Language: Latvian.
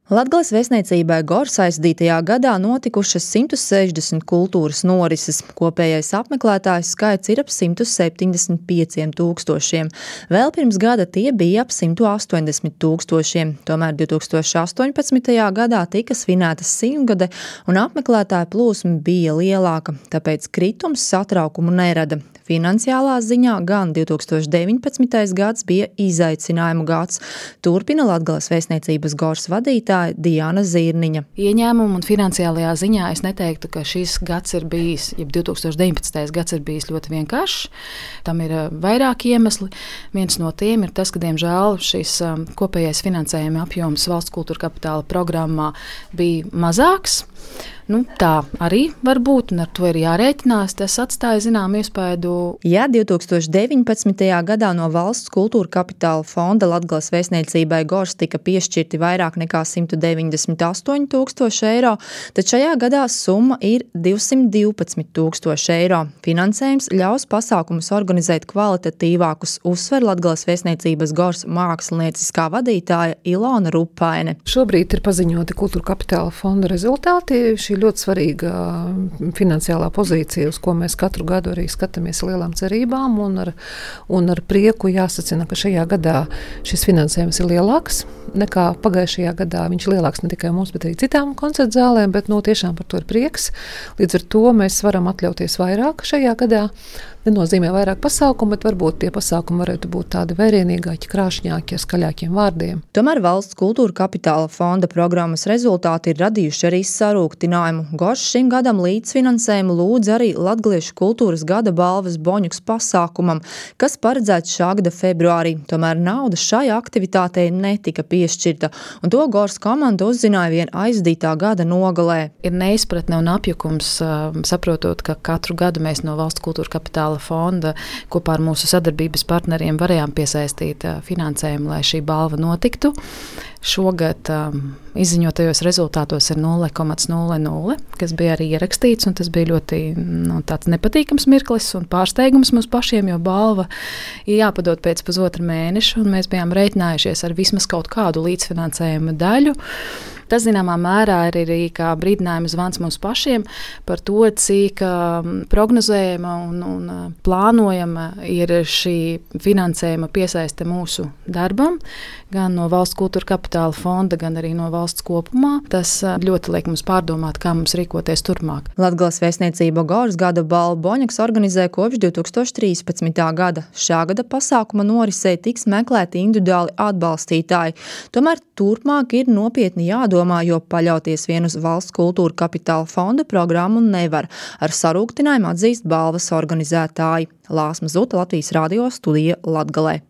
Latgales vēstniecībai Gors aizdītajā gadā notikušas 160 kultūras norises. Kopējais apmeklētāju skaits ir ap 175 tūkstošiem. Vēl pirms gada tie bija ap 180 tūkstošiem. Tomēr 2018. gadā tika svinēta 100-gade un apmeklētāju plūsma bija lielāka, tāpēc kritums satraukumu nerada. Finansiālā ziņā gan 2019. gads bija izaicinājumu gads, turpina Latgales vēstniecības Gors vadītāja Diana Zirniņa. Ieņēmumu un finansiālajā ziņā es neteiktu, ka šis gads ir bijis, ja 2019. gads ir bijis ļoti vienkāršs. Tam ir vairāki iemesli. Viens no tiem ir tas, ka, diemžēl, šis kopējais finansējuma apjoms valsts kultūra kapitāla programmā bija mazāks. Tā arī var būt, un ar to ir jārēķinās. Tas atstāja zināmu iespaidu. Ja 2019. gadā no valsts kultūra kapitāla fonda Latgales vēstniecībai Gors tika piešķirti vairāk nekā 198 tūkstoši eiro, tad šajā gadā summa ir 212 tūkstoši eiro. Finansējums ļaus pasākumus organizēt kvalitatīvākus, uzsver Latgales vēstniecības Gors mākslinieciskā vadītāja Ilona Rupaine. Šobrīd ir paziņoti kultūra kapitāla fonda rezultāti. Šī ļoti svarīga finansiālā pozīcija, uz ko mēs katru gadu arī skatāmies lielām cerībām, un ar prieku jāsacina, ka šajā gadā šis finansējums ir lielāks nekā pagājušajā gadā. Viņš ir lielāks ne tikai mums, bet arī citām koncertu zālēm, bet tiešām par to ir prieks. Līdz ar to mēs varam atļauties vairāk šajā gadā. Nenozīmē vairāk pasākumu, bet varbūt tie pasākumi varētu būt tādi vērienīgāki, krāšņāki, ar skaļākiem vārdiem. Tomēr valsts kultūra kapitāla fonda programmas rezultāti ir radījuši arī sarūktinājumu. Gors šim gadam līdzfinansējumu lūdz arī Latgaliešu kultūras gada balvas Boņuks pasākumam, kas paredzēts šā gada februārī. Tomēr nauda šai aktivitātei netika piešķirta, un to Gors komanda uzzināja vien aizdītā gada nogalē. Ir neizpratne un apjukums, saprotot, ka katru gadu mēs no valsts kultūra kapitāla fonda kopā ar mūsu sadarbības partneriem varējām piesaistīt finansējumu, lai šī balva notiktu. Šogad izziņotajos rezultātos ir 0,00, kas bija arī ierakstīts, un tas bija ļoti tāds nepatīkams mirklis un pārsteigums mums pašiem, jo balva ir jāpadod pēc pusotra mēneša, un mēs bijām rēķinājušies ar vismaz kaut kādu līdzfinansējuma daļu. Tas, zināmā mērā, ir arī kā brīdinājuma zvans mums pašiem par to, cik prognozējama un plānojama ir šī finansējuma piesaiste mūsu darbam, gan no valsts kultūra kapitāla fonda, gan arī no valsts kopumā. Tas ļoti liek mums pārdomāt, kā mums rīkoties turpmāk. Latgales vēstniecība Gors gada balvu Boņuks organizē kopš 2013. gada. Šā gada pasākuma norisē tiks meklēti individuāli atbalstītāji. Tomēr turpmāk ir nopietni jādomā, jo paļauties vien uz valsts kultūra kapitāla fonda programmu nevar. Ar sarūktinājumu atzīst balvas organizētāji. Lāsma Zuta, Latvijas radio studija Latgalē.